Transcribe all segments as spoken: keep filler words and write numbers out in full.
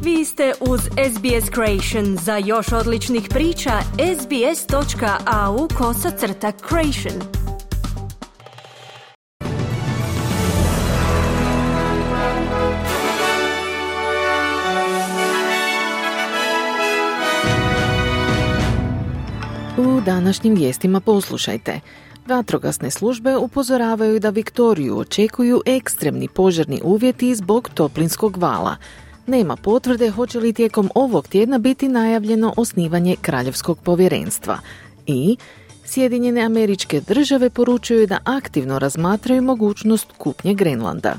Vi ste uz S B S Creation. Za još odličnih priča, sbs.au kosacrta creation. U današnjim vijestima poslušajte. Vatrogasne službe upozoravaju da Viktoriju očekuju ekstremni požarni uvjeti zbog toplinskog vala. Nema potvrde hoće li tijekom ovog tjedna biti najavljeno osnivanje kraljevskog povjerenstva. I Sjedinjene Američke Države poručuju da aktivno razmatraju mogućnost kupnje Grenlanda.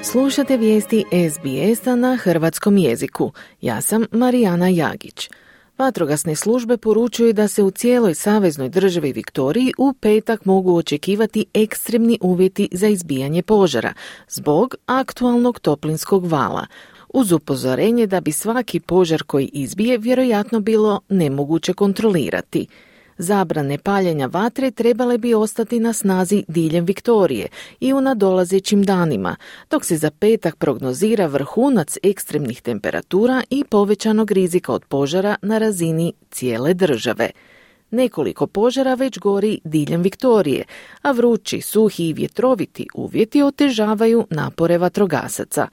Slušate vijesti S B S-a na hrvatskom jeziku. Ja sam Marijana Jagić. Vatrogasne službe poručuju da se u cijeloj saveznoj državi Viktoriji u petak mogu očekivati ekstremni uvjeti za izbijanje požara zbog aktualnog toplinskog vala, uz upozorenje da bi svaki požar koji izbije vjerojatno bilo nemoguće kontrolirati. Zabrane paljenja vatre trebale bi ostati na snazi diljem Viktorije i u nadolazećim danima, dok se za petak prognozira vrhunac ekstremnih temperatura i povećanog rizika od požara na razini cijele države. Nekoliko požara već gori diljem Viktorije, a vrući, suhi i vjetroviti uvjeti otežavaju napore vatrogasaca.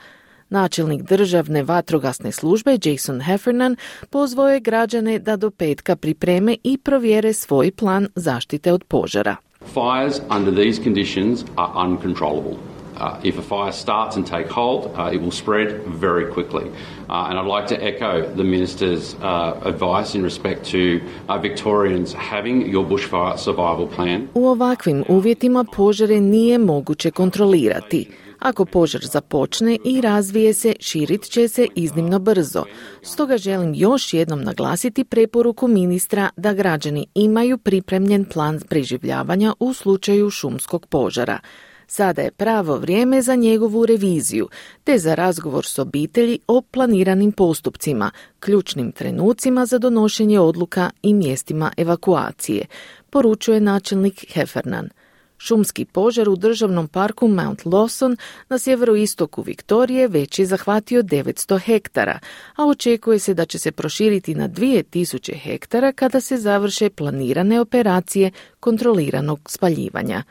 Načelnik državne vatrogasne službe Jason Heffernan pozvao je građane da do petka pripreme i provjere svoj plan zaštite od požara. Fires under these conditions are uncontrollable. Uh, if a fire starts and take hold, uh, it will spread very quickly. Uh, and I'd like to echo the Minister's uh, advice in respect to uh, Victorians having your bushfire survival plan. U ovakvim uvjetima požare nije moguće kontrolirati. Ako požar započne i razvije se, širit će se iznimno brzo. Stoga želim još jednom naglasiti preporuku ministra da građani imaju pripremljen plan preživljavanja u slučaju šumskog požara. Sada je pravo vrijeme za njegovu reviziju, te za razgovor s obitelji o planiranim postupcima, ključnim trenucima za donošenje odluka i mjestima evakuacije, poručuje načelnik Heffernan. Šumski požar u državnom parku Mount Lawson na sjeveroistoku Viktorije već je zahvatio devetsto hektara, a očekuje se da će se proširiti na dvije tisuće hektara kada se završe planirane operacije kontroliranog spaljivanja.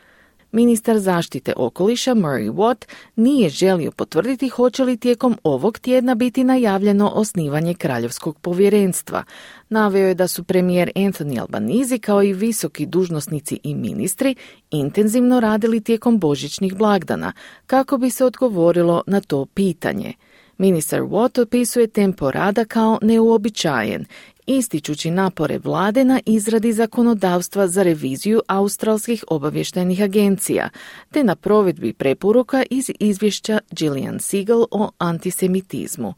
Ministar zaštite okoliša Murray Watt nije želio potvrditi hoće li tijekom ovog tjedna biti najavljeno osnivanje kraljevskog povjerenstva. Naveo je da su premijer Anthony Albanese kao i visoki dužnosnici i ministri intenzivno radili tijekom božićnih blagdana kako bi se odgovorilo na to pitanje. Ministar Watt opisuje tempo rada kao neuobičajen, ističući napore vlade na izradi zakonodavstva za reviziju australskih obavještajnih agencija, te na provedbi preporuka iz izvješća Gillian Siegel o antisemitizmu.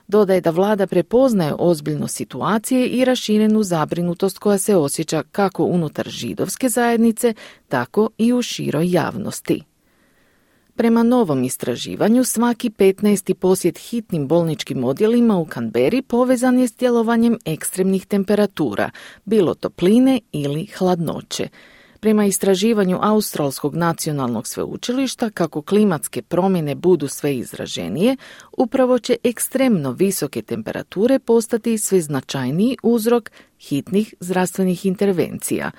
Dodaje da vlada prepoznaje ozbiljnost situacije i raširenu zabrinutost koja se osjeća kako unutar židovske zajednice, tako i u široj javnosti. Prema novom istraživanju, svaki petnaesti posjet hitnim bolničkim odjelima u Canberri povezan je s djelovanjem ekstremnih temperatura, bilo topline ili hladnoće. Prema istraživanju Australskog nacionalnog sveučilišta, kako klimatske promjene budu sve izraženije, upravo će ekstremno visoke temperature postati sve značajniji uzrok hitnih zdravstvenih intervencija.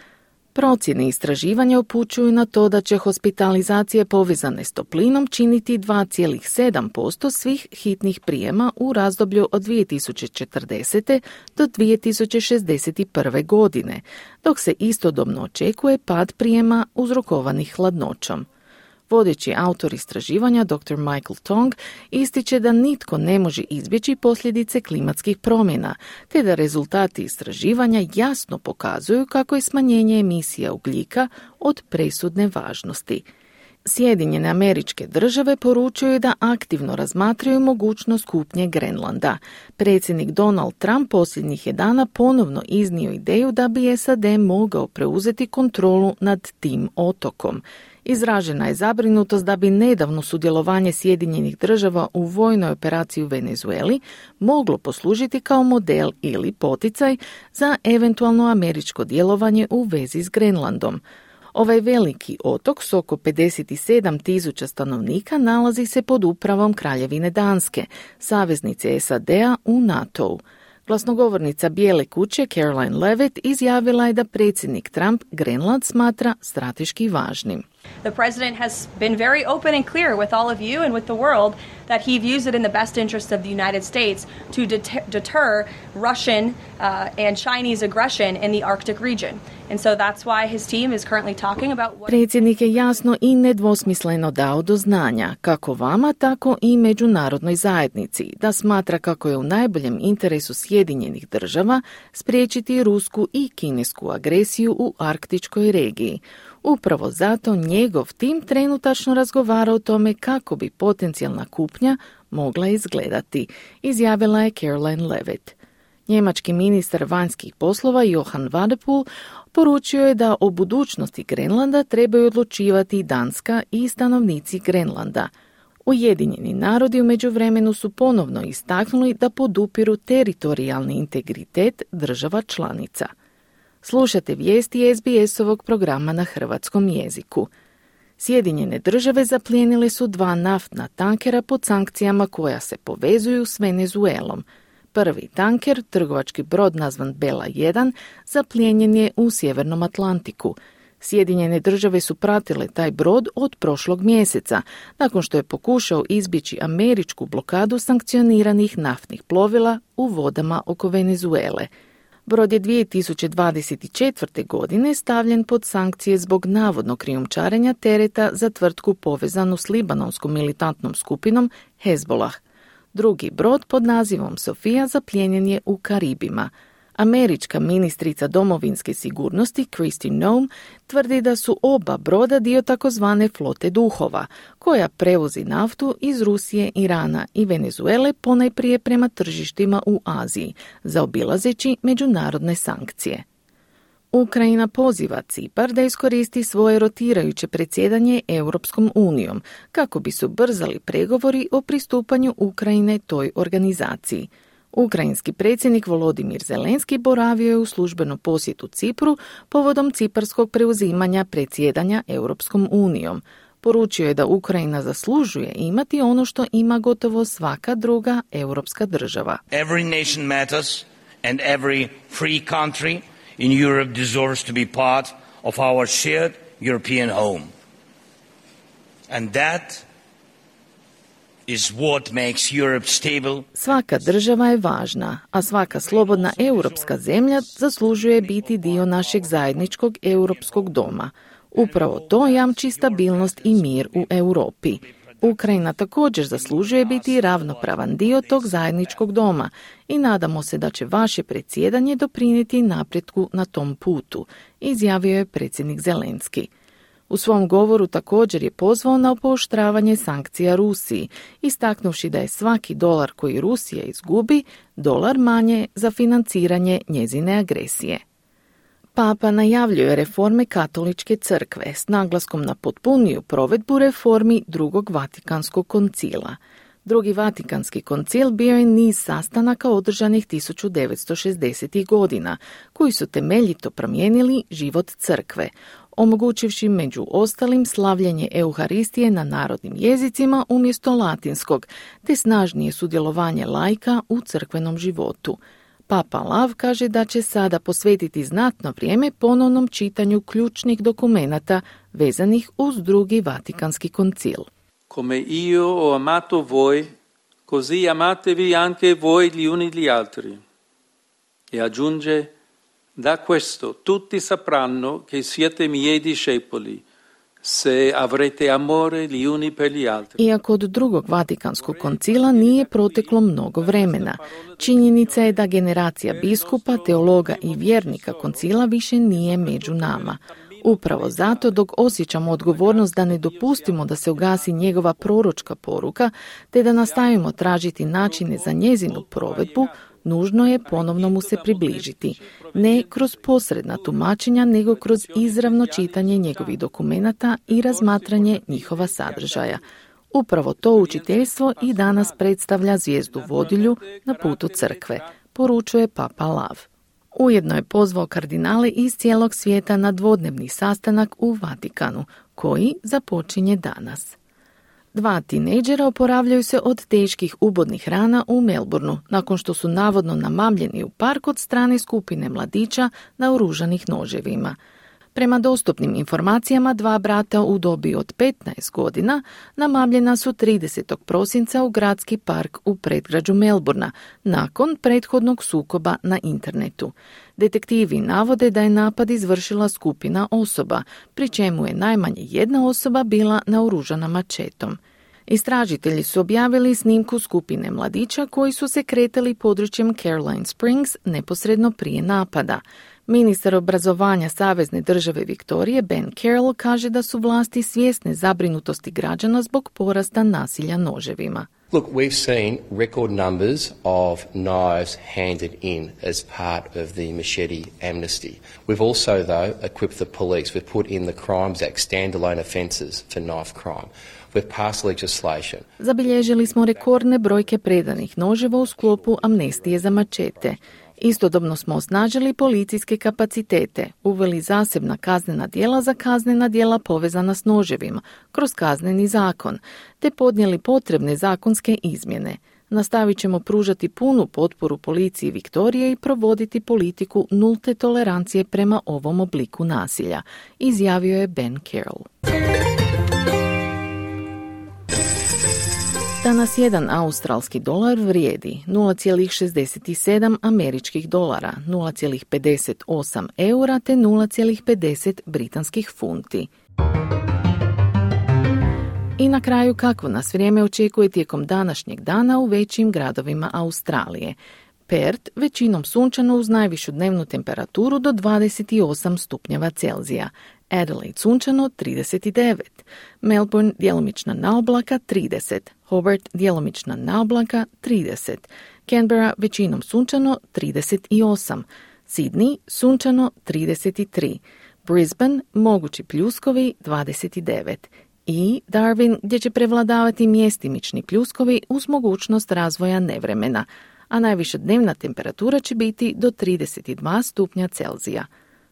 Procjene istraživanja upućuju na to da će hospitalizacije povezane s toplinom činiti dva zarez sedam posto svih hitnih prijema u razdoblju od dvije tisuće četrdesete do dvije tisuće šezdeset prve. godine, dok se istodobno očekuje pad prijema uzrokovanih hladnoćom. Vodeći autor istraživanja doktor Michael Tong ističe da nitko ne može izbjeći posljedice klimatskih promjena, te da rezultati istraživanja jasno pokazuju kako je smanjenje emisija ugljika od presudne važnosti. Sjedinjene Američke Države poručuju da aktivno razmatraju mogućnost kupnje Grenlanda. Predsjednik Donald Trump posljednjih je dana ponovno iznio ideju da bi S A D mogao preuzeti kontrolu nad tim otokom. Izražena je zabrinutost da bi nedavno sudjelovanje Sjedinjenih Država u vojnoj operaciji u Venezueli moglo poslužiti kao model ili poticaj za eventualno američko djelovanje u vezi s Grenlandom. Ovaj veliki otok s oko pedeset sedam tisuća stanovnika nalazi se pod upravom Kraljevine Danske, saveznice S A D-a u NATO-u. Glasnogovornica Bijele kuće Caroline Levitt izjavila je da predsjednik Trump Grenland smatra strateški važnim. The president has been very open and clear with all of you and with the world that he views it in the best interest of the United States to deter, deter Russian uh, and Chinese aggression in the Arctic region. And so that's why his team is currently talking about what... Predsjednik je jasno i nedvosmisleno dao do znanja, kako vama, tako i međunarodnoj zajednici, da smatra kako je u najboljem interesu Sjedinjenih država spriječiti rusku i kinesku agresiju u arktičkoj regiji. Upravo zato njegov tim trenutačno razgovara o tome kako bi potencijalna kupnja mogla izgledati, izjavila je Caroline Levitt. Njemački ministar vanjskih poslova Johann Wadephul poručio je da o budućnosti Grenlanda trebaju odlučivati Danska i stanovnici Grenlanda. Ujedinjeni narodi u međuvremenu su ponovno istaknuli da podupiru teritorijalni integritet država članica. Slušate vijesti S B S-ovog programa na hrvatskom jeziku. Sjedinjene države zaplijenile su dva naftna tankera pod sankcijama koja se povezuju s Venezuelom. Prvi tanker, trgovački brod nazvan Bela jedan, zaplijenjen je u Sjevernom Atlantiku. Sjedinjene države su pratile taj brod od prošlog mjeseca, nakon što je pokušao izbjeći američku blokadu sankcioniranih naftnih plovila u vodama oko Venezuele. Brod je dvije tisuće dvadeset četvrte. godine stavljen pod sankcije zbog navodnog krijumčarenja tereta za tvrtku povezanu s libanonskom militantnom skupinom Hezbollah. Drugi brod pod nazivom Sofia zaplijenjen je u Karibima. Američka ministrica domovinske sigurnosti Kristi Noem tvrdi da su oba broda dio takozvane flote duhova, koja prevozi naftu iz Rusije, Irana i Venezuele ponajprije prema tržištima u Aziji, zaobilazeći međunarodne sankcije. Ukrajina poziva Cipar da iskoristi svoje rotirajuće predsjedanje Europskom unijom kako bi se ubrzali pregovori o pristupanju Ukrajine toj organizaciji. Ukrajinski predsjednik Volodimir Zelenski boravio je u službenom posjetu Cipru povodom ciparskog preuzimanja predsjedanja Europskom unijom. Poručio je da Ukrajina zaslužuje imati ono što ima gotovo svaka druga europska država. Every nation matters and every free country in Europe deserves to be part of our shared European home. And that is what makes Europe stable. Svaka država je važna, a svaka slobodna europska zemlja zaslužuje biti dio našeg zajedničkog europskog doma. Upravo to jamči stabilnost i mir u Europi. Ukrajina također zaslužuje biti ravnopravan dio tog zajedničkog doma i nadamo se da će vaše predsjedanje doprinijeti napretku na tom putu, izjavio je predsjednik Zelenski. U svom govoru također je pozvao na pooštravanje sankcija Rusiji, istaknuvši da je svaki dolar koji Rusija izgubi, dolar manje za financiranje njezine agresije. Papa najavljuje reforme katoličke crkve s naglaskom na potpuniju provedbu reformi drugog Vatikanskog koncila. Drugi Vatikanski koncil bio je niz sastanaka održanih tisuću devetsto šezdesetih. godina, koji su temeljito promijenili život crkve, omogućivši među ostalim slavljenje Euharistije na narodnim jezicima umjesto latinskog, te snažnije sudjelovanje laika u crkvenom životu. Papa Lav kaže da će sada posvetiti znatno vrijeme ponovnom čitanju ključnih dokumenata vezanih uz drugi Vatikanski koncil. Come io ho amato voi, così amatevi anche voi gli uni gli altri. E aggiunge: da questo tutti sapranno che siete miei discepoli, se avrete amore gli uni per gli altri. Iako od drugog Vatikanskog koncila nije proteklo mnogo vremena, činjenica je da generacija biskupa, teologa i vjernika koncila više nije među nama. Upravo zato, dok osjećamo odgovornost da ne dopustimo da se ugasi njegova proročka poruka, te da nastavimo tražiti načine za njezinu provedbu, nužno je ponovno mu se približiti, ne kroz posredna tumačenja, nego kroz izravno čitanje njegovih dokumenata i razmatranje njihova sadržaja. Upravo to učiteljstvo i danas predstavlja zvijezdu vodilju na putu crkve, poručuje Papa Lav. Ujedno je pozvao kardinale iz cijelog svijeta na dvodnevni sastanak u Vatikanu, koji započinje danas. Dva tinejdžera oporavljaju se od teških ubodnih rana u Melbourneu, nakon što su navodno namamljeni u park od strane skupine mladića naoružanih noževima. Prema dostupnim informacijama, dva brata u dobi od petnaest godina namamljena su tridesetog prosinca u gradski park u predgrađu Melbournea, nakon prethodnog sukoba na internetu. Detektivi navode da je napad izvršila skupina osoba, pri čemu je najmanje jedna osoba bila naoružana mačetom. Istražitelji su objavili snimku skupine mladića koji su se kretali područjem Caroline Springs neposredno prije napada. Ministar obrazovanja Savezne države Viktorije Ben Carroll kaže da su vlasti svjesne zabrinutosti građana zbog porasta nasilja noževima. Look, we've seen record numbers of knives handed in as part of the machete amnesty. We've also, though, equipped the police. We've put in the Crimes Act standalone offences for knife crime. We've passed legislation. Zabilježili smo rekordne brojke predanih noževa u sklopu amnestije za mačete. Istodobno smo osnažili policijske kapacitete, uveli zasebna kaznena djela za kaznena djela povezana s noževima, kroz kazneni zakon, te podnijeli potrebne zakonske izmjene. Nastavit ćemo pružati punu potporu policiji Viktorije i provoditi politiku nulte tolerancije prema ovom obliku nasilja, izjavio je Ben Carroll. Danas jedan australski dolar vrijedi nula zarez šezdeset sedam američkih dolara, nula zarez pedeset osam eura te nula zarez pedeset britanskih funti. I na kraju, kako nas vrijeme očekuje tijekom današnjeg dana u većim gradovima Australije. Perth većinom sunčano uz najvišu dnevnu temperaturu do dvadeset osam stupnjeva Celzija. Adelaide sunčano trideset devet, Melbourne djelomična naoblaka trideset, Hobart djelomična naoblaka trideset, Canberra većinom sunčano trideset osam, Sydney sunčano trideset tri, Brisbane mogući pljuskovi dvadeset devet i Darwin gdje će prevladavati mjestimični pljuskovi uz mogućnost razvoja nevremena, a najviša dnevna temperatura će biti do trideset dva stupnja Celzija.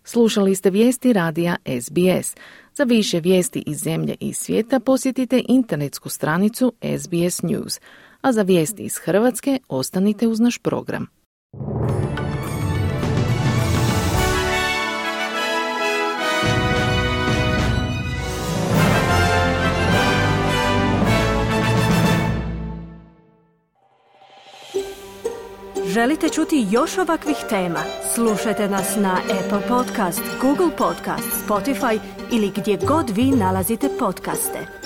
Slušali ste vijesti radija S B S. Za više vijesti iz zemlje i svijeta posjetite internetsku stranicu S B S News, a za vijesti iz Hrvatske ostanite uz naš program. Želite čuti još ovakvih tema? Slušajte nas na Apple Podcast, Google Podcast, Spotify ili gdje god vi nalazite podcaste.